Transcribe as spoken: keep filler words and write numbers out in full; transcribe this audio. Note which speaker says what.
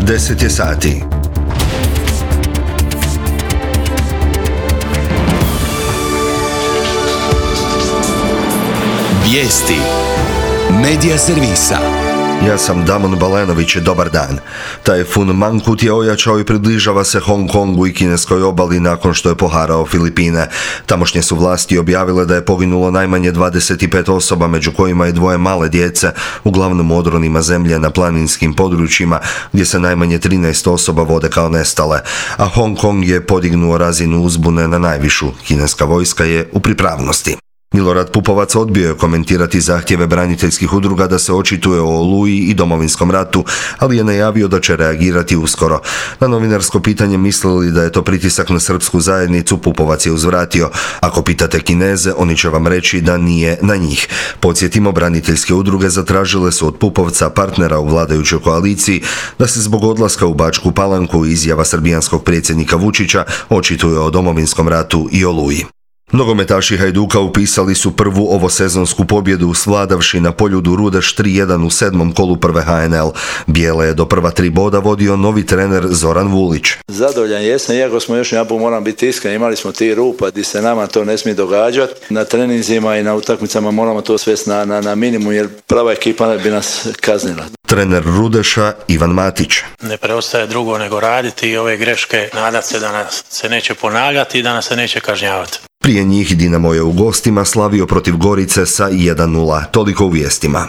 Speaker 1: deset je sati.
Speaker 2: Vijesti Medija servisa.
Speaker 1: Ja sam Damon Balenović, dobar dan. Tajfun Mangkhut je ojačao i približava se Hong Kongu i kineskoj obali nakon što je poharao Filipine. Tamošnje su vlasti objavile da je poginulo najmanje dvadeset pet osoba, među kojima i dvoje male djece, uglavnom u odronima zemlje na planinskim područjima, gdje se najmanje trinaest osoba vode kao nestale. A Hong Kong je podignuo razinu uzbune na najvišu. Kineska vojska je u pripravnosti. Milorad Pupovac odbio je komentirati zahtjeve braniteljskih udruga da se očituje o Oluji i Domovinskom ratu, ali je najavio da će reagirati uskoro. Na novinarsko pitanje mislili da je to pritisak na srpsku zajednicu, Pupovac je uzvratio: ako pitate Kineze, oni će vam reći da nije na njih. Podsjetimo, braniteljske udruge zatražile su od Pupovca, partnera u vladajućoj koaliciji, da se zbog odlaska u Bačku Palanku i izjava srbijanskog predsjednika Vučića očituje o Domovinskom ratu i Oluji. Nogometaši Hajduka upisali su prvu ovosezonsku pobjedu svladavši na Poljudu Rudeš tri jedan u sedmom kolu prve H N L. Bijele je do prva tri boda vodio novi trener Zoran Vulić.
Speaker 3: Zadovoljan jesam, iako smo još jedan put, moram biti iskren, imali smo ti rupa gdje se nama to ne smije događati. Na treninzima i na utakmicama moramo to svesti na, na, na minimum, jer prava ekipa bi nas kaznila.
Speaker 1: Trener Rudeša Ivan Matić.
Speaker 4: Ne preostaje drugo nego raditi i ove greške nadat se da nas se neće ponavljati i da nas se neće kažnjavati.
Speaker 1: Prije njih Dinamo je u gostima slavio protiv Gorice sa jedan nula. Toliko u vijestima.